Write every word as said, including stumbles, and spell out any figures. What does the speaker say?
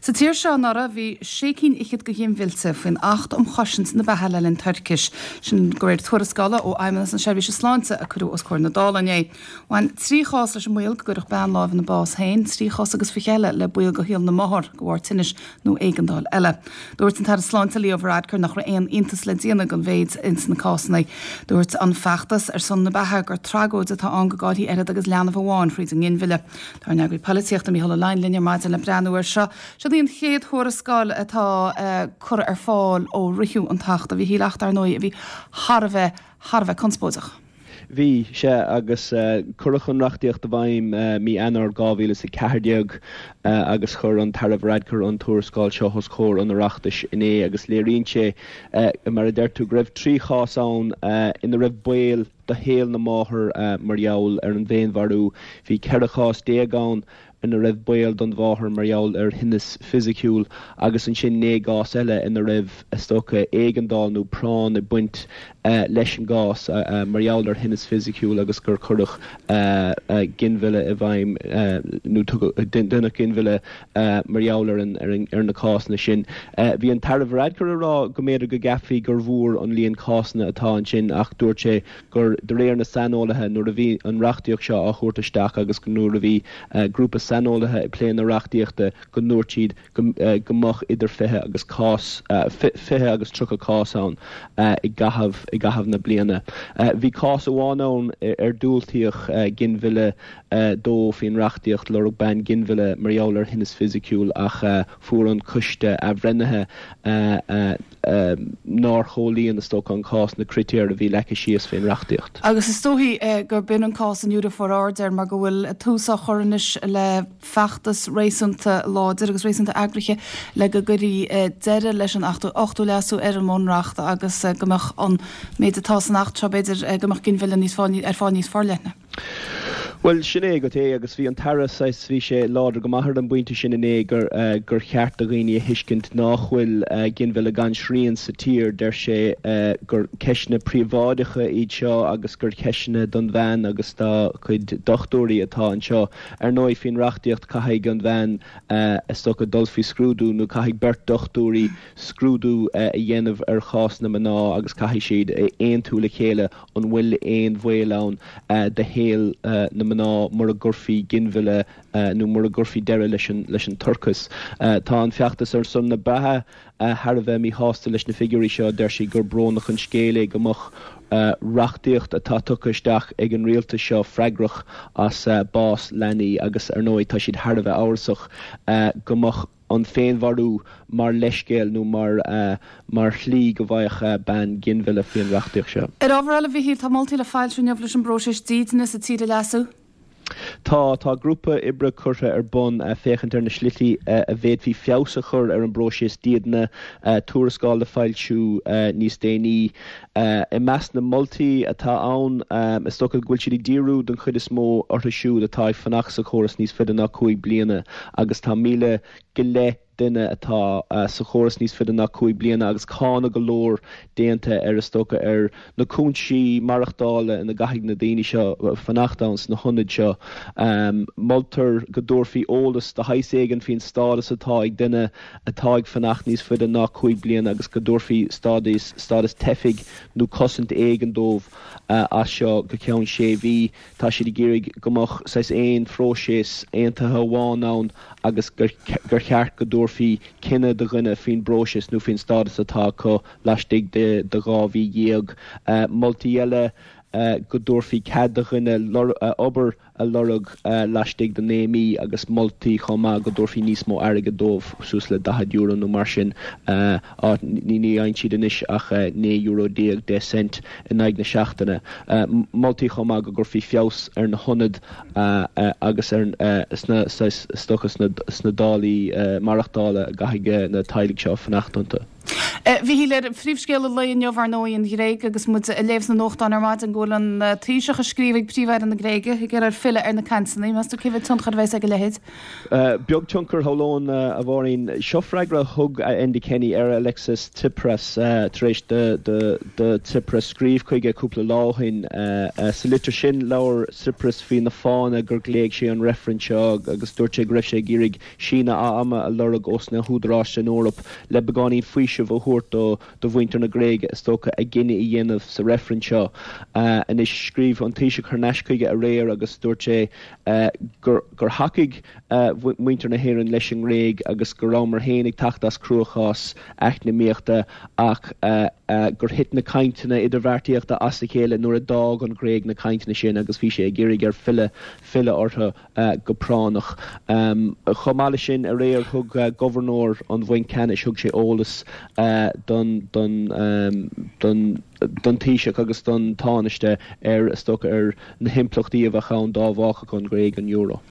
Sa tír seo anuraidh bhí sé cinn fhichead de ghinmhillte faoin Acht um Chosaint na Beatha le linn Toirchis, sin de réir tuarascála ó Fheidhmeannas na Seirbhíse Sláinte a cuireadh os comhair na Dála inné. Bhain trí chás leis an mbaol go gcuirfeadh bean lámh ina bás féin, trí chás agus fiche eile le baol do shaol na máthar de bharr tinnis nó éigeandáil eile. Dúirt an tAire Sláinte Leo Varadkar nach raibh aon iontas le déanamh den mhéid ins na cásanna. Dúirt an feachtas ar son na beatha gur tragóid atá ann go gcaillfí oiread agus leanbh amháin thríd an nginmhilleadh. Tá ár n-eagraí polaitíochta Mícheál Ó Laighin linn ar maidin le breathnú air seo. Seo í an chéad thuarascáil atá uh, curtha ar fáil ó ritheadh an tAcht a Mhíchíl, acht ar ndóigh a bhí thar a bheith thar a bheith conspóideach. Bhí sé agus uh, cuireadh an reachtaíocht i bhfeidhm uh, mí Eanáir dhá mhíle is a ceathair déag uh, agus chuir an tAire Varadkar an tuarascáil seo os comhair an Oireachtais inné agus léiríonn sé uh, mar a deir tú go raibh trí chás ann uh, ina raibh baol do shaol na máthar uh, mar gheall ar an bhféinmharú. Bhí ceithre chás déag ann ina raibh baol don mháthair mar gheall ar thinneas fisiciúil agus ansin naoi gcás eile ina raibh is dócha éigeandáil nó práinn ag baint uh, leis an gcás uh, uh, mar gheall ar thinneas fisiciúil agus gur cuireadh uh, uh, ginmhilleadh i bhfeidhm uh, nó deineadh ginmhilleadh uh, mar gheall ar, ar, ar na cásanna sin. Uh, bhí an tAire Varadkar ag rá go mb'fhéidir go gceapfaí gur mhór an líon cásanna atá ansin ach dúirt sé gur de réir na saineolaithe nuair a bhí an reachtaíocht seo á thabhairt isteach agus go nuair a bhí uh, grúpa saineolaithe ag plé na reachtaíochta go ndúirt siad go, uh, go mbeadh idir fiche agus cás uh, fiche agus tríocha cás ann uh, i gcaitheamh i gcaitheamh na bliana. Uh, bhí cás amháin ann ar diúltaíodh uh, ginmhilleadh uh, dó faoin reachtaíocht lorg bean ginmhilleadh mar gheall ar thinneas fisiciúil ach uh, fuair an coiste athbhreithnithe uh, uh, uh, nár chomhlíon is dócha an cás na critéir a bhí leagtha síos faoin reachtaíocht. Agus is dóichí uh, gur b'in an cás an údar for aird mar go bhfuil tús á chur anois le feachtas réasúnta láidir agus réasúnta eagraithe le go gcuirfí uh, deireadh leis an ochtú leasú ar an mbunreacht agus uh, go mbeadh an méid atá san acht seo b'fhéidir uh, go mbeadh ginmhilleadh níos ar fáil níos forleithne. Well sin é go é agus bhí an tAire bhí sé láidir go maith ar an bpointe sin inné gur uh, gur cheart do dhaoine a thuiscint nach bhfuil uh, ginmhilleadh gan srian sa tír deir sé uh, gur ceisteanna príobháideacha iad seo agus gur ceisteanna don bhean agus dá cuid dochtúirí atá anseo. Ar ndóigh faoin reachtaíocht caithfidh an bhean uh, is dócha dul faoi scrúdú nó caithfidh beirt dochtúirí scrúdú uh, a dhéanamh ar chás na mná agus caithfidh siad aontú le chéile an bhfuil aon bhaol ann uh, do shaol uh, na mná mura gcuirfí ginmhilleadh uh, nó mura gcuirfí deireadh leis an leis an toircheas. Uh, tá an feachtas ar son na beatha uh, thar a bheith míshásta leis na figiúirí seo deir siad gur brónach an scéal é go mbeadh uh, reachtaíocht atá tugtha isteach ag an rialtas seo freagrach as uh, bás leanaí agus ar ndóigh tá siad thar a bheith amhrasach uh, go mbeadh an féinmharú mar leithscéal nó mar uh, mar shlí go bhfaigheadh uh, bean ginmhilleadh faoin reachtaíocht seo. Ar ábhar eile Mhíchíl tá moltaí le foilsiú inniu leis an bpróiseas dídine sa tír a leasú? Tá tá grúpa oibre curtha ar bun uh, féachaint ar na slí uh, a bhféadfaí feabhas a chur ar an bpróiseas dídine uh, tuarascáil le foilsiú uh, níos déanaí uh, i measc na moltaí atá ann um, is dócha go bhfuil siad ag díriú den chuid is mó orthu siúd atá ag fanacht sa chóras níos faide ná cúig bliana agus tá míle go leith duine atá uh, sa chóras níos faide ná cúig bliana agus cáineadh go leor déanta ar is dócha ar na cúinsí maireachtála ina gcaithfidh na daoine seo fanacht ann sna hionaid seo. Um, moltar go dtabharfaí eolas de shaghas éigin faoin stádas atá ag duine atá ag fanacht níos faide ná cúig bliana agus go dtabharfaí stádas stádas teifigh nó cosaint éigin dóibh uh, as seo go ceann sé mhí tá siad ag iarraidh go mbeadh saghas aon phróiseas aontaithe amháin ann agus gur, gur cheart go dtabharfaí cinneadh do dhuine faoin bpróiseas nó faoin stádas atá acu laistigh de, de dhá mhí dhéag. Uh, moltaí eile uh, go dtabharfaí cead do dhuine uh, obair a lorg uh, laistigh de naoi mí agus moltaí chomh maith go dtabharfaí níos mó airgid dóibh suas le daichead euro nó mar sin uh, ní ní fhaigheann siad anois ach uh, naoi euro déag deich cent in aghaidh na seachtaine. Uh, moltaí chomh maith go gcuirfí feabhas ar na hionaid uh, uh, agus ar uh, sna is dócha sna, sna dálaí uh, maireachtála a gcaithfidh na teaghlaigh seo fanacht iontu. A Mhíchíl, ar phríomhscéal an lae inniu, ar ndóigh, an Ghréig agus muid ag léamh sna nuachtáin ar maidin go bhfuil an Taoiseach ag scríobh ag Príomh-Aire na Gréige ag iarraidh air filleadh ar na cainteanna. Meas tú cé mhéad tionchar a bheas ag a leithéid? Beag tionchar, shamhlóinn, a Mháirín. Seo freagra a thug Enda Kenny ar Alexis Tsipras tar éis do Tsipras scríobh chuige cúpla lá ó shin. Sa litir sin, labhair Tsipras faoi na fáthanna gur ghlaoigh sé an reifreann seo agus dúirt sé go raibh sé ag iarraidh síneadh ama a lorg ós na húdaráis san Eoraip le beagáinín faoisimh a thabhairt do do mhuintir na Gréige, is dócha, a gcinneadh a dhéanamh sa reifreann seo. Anois, scríobh an Taoiseach thar n-ais chuige aréir agus dúirt sé gur gur thacaigh muintir na hÉireann leis an nGréig agus go rabhamar féin ag teacht as cruachás eacnamaíochta ach gur thit na cainteanna idirbheartaíochta as a chéile nuair a d'fhág an Ghréig na cainteanna sin agus bhí sé ag iarraidh air filleadh filleadh orthu go práinneach. Chomh maith leis sin, aréir thug Gobharnóir an Bhainc Ceannais, thug sé eolas don don don don Taoiseach agus don Tánaiste ar, is dócha, ar na himpleachtaí a bheadh ann dá bhfágfadh an Ghréig an euro.